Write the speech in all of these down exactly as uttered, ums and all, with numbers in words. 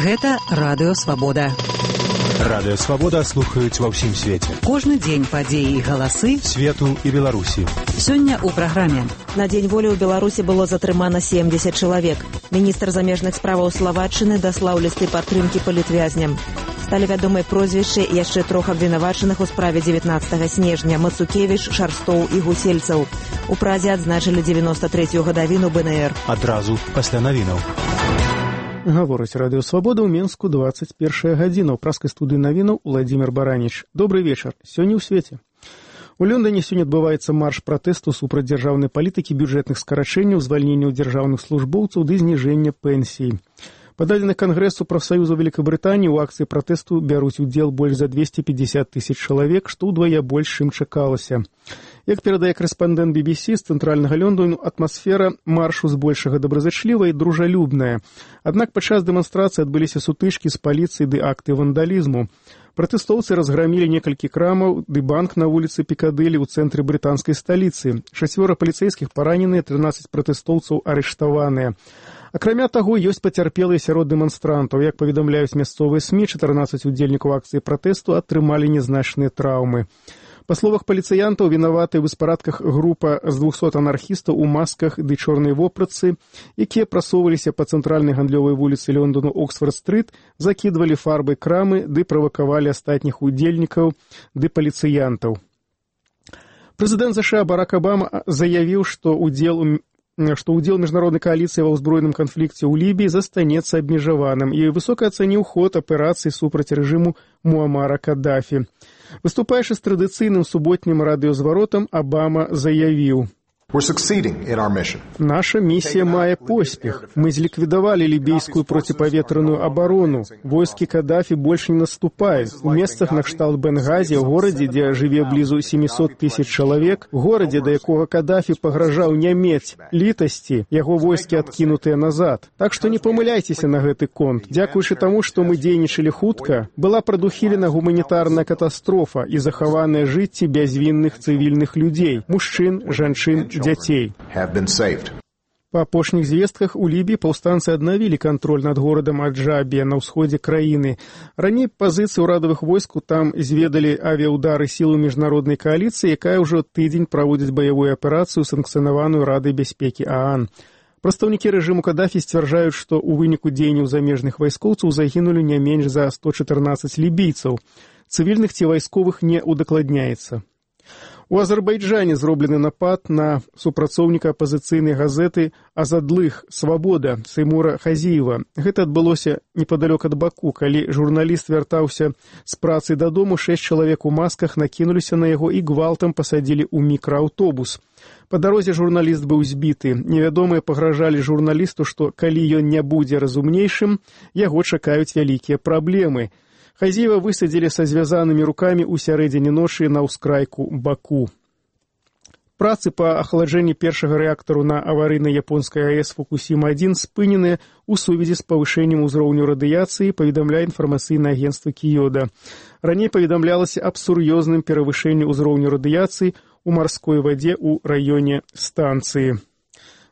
Гэта Радыё Свабода. Радыё Свабода слухаюць ва ўсім свеце. Кожны дзень падзеі і галасы свету і Беларусі. Сёння ў праграме. На Дзень волі ў Беларусі было затрымана семдзесят чалавек. Міністр замежных справаў Славаччыны даслаў лісты падтрымкі палітвязням. Сталі вядомыя прозвішчы яшчэ трох абвінавачаных у справе дзевятнаццатага снежня: Мацукевіч, Шарстоў і Гусельцаў. У Прадзе адзначылі дзевяноста трэцюю гадавіну бэ эн эр. Адразу пасля навінаў. Гаворыць Радыё Свабода ў Менску дваццаць першая гадзіна. У праскай студыі навінаў Владзімир Бараніч. Добрый вечар. Сёння ў свеце. У Лондоне сёння адбываецца марш пратэсту супраць дзяржаўнай палітыкі, бюджэтных скарачэнняў, звальненняў дзяржаўных службоўцаў ды зніжэння пенсій. Па дадзеных Кангрэсу прафсаюзу Вялікабрытаніі ў акцыі пратэсту бяруць удзел больш за двесце пятьдесят тысяч чалавек, што ўдвая больш, чым чакалася. Як перадае корэспандэнт би би си з цэнтральнага Лондону, атмасфера маршу збольшага добразычлівая і дружалюбная. Аднак падчас дэманстрацыі адбыліся сутычкі з паліцыяй ды акты вандалізму. Пратэстоўцы разграмілі некалькі крамаў ды банк на вуліцы Пікадылі ў цэнтры брытанскай сталіцы. Шасцёра паліцэйскіх параненыя, трынаццаць пратэстоўцаў арыштаваныя. Акрамя таго, ёсць пацярпелыя сярод дэманстрантаў. Як паведамляюць мясцовыя СМІ, чатырнаццаць удзельнікаў акцыі пратэсту атрымалі нязначныя траўмы. Па словах паліцыянтаў, вінаватыя ў беспарадках група з двухсот анархістаў у масках ды чорнай вопратцы, якія прасоўваліся па цэнтральнай гандлёвай вуліцы Лондану Оксфорд-стрыт, закідвалі фарбай крамы ды правакавалі астатніх удзельнікаў ды паліцыянтаў. Прэзідэнт ЗША Барак Абама заявіў, што удзел у што ўдзел міжнароднай кааліцыі ва ўзброеным канфлікце ў Лібіі застанецца абмежаваным, і высока ацаніў ход аперацыі супраць рэжыму Муамара Каддафі. Выступаючы з традыцыйным суботнім радыёзваротам, Абама заявіў: «Наша миссия мае поспех. Мы зликвидовали либийскую противоветренную оборону. Войски Каддафи больше не наступают. У местах на кшталт Бенгази, в городе, где живе близу семьсот тысяч человек, в городе, до якого Каддафи погрожал не мець літасці, яго войски откинутые назад. Так что не помыляйтесь на гэты конт. Дзякуючы тому, что мы дзейнічалі хутка, была прадухілена гуманітарная катастрофа і захаваныя жыцці бязвінных цывільных людзей, мужчын, жанчын, дзяцей. Па апошніх звестках у Лібіі паўстанцы аднавілі кантроль над горадам Аджабія на ўсходзе краіны. Раней пазіцыі ўрадавых войску там зведалі авіяудары сілу міжнароднай кааліцыі, якая ўжо тыдзень праводзіць баявую аперацыю, санкцыянаваную Радай бяспекі ААН. Прадстаўнікі рэжыму Каддафі сцвярджаюць, што ў выніку дзеянняў замежных вайскоўцаў загінулі не менш за сто чатырнаццаць лібійцаў. Цывільных ці вайсковых не удакладняецца. У Азербайджане зроблены напад на супрацоўніка апазіцыйнай газеты «Азадлых. Свабода» Сеймура Хазіева. Гэта адбылося непадалёк ад Баку. Калі журналіст вяртаўся з працы дадому, шэсць чалавек у масках накінуліся на яго і гвалтам пасадзілі ў мікрааўтобус. Па дарозе журналіст быў збіты. Невядомыя пагражалі журналісту, што калі ён не будзе разумнейшым, яго чакаюць вялікія праблемы. Хазіева высадзілі са звязанымі рукамі ў сярэдзіне ночы на ўскрайку Баку. Працы па ахаладжэнні першага рэактару на аварыйнай японскай АЭС Фукусіма адзін спыненыя ў сувязі з павышэннем узроўню радыяцыі, паведамляе інфармацыйнае агенцтва Кіёда. Раней паведамлялася аб сур'ёзным перавышэнні ўзроўню радыяцыі ў марской вадзе ў раёне станцыі.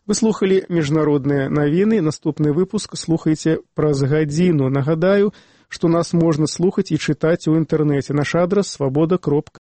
Вы слухалі міжнародныя навіны. Наступны выпуск слухайце праз гадзіну. Нагадаю, што нас можна слухаць і чытаць у інтэрнэце. Наш адрас свабода кропка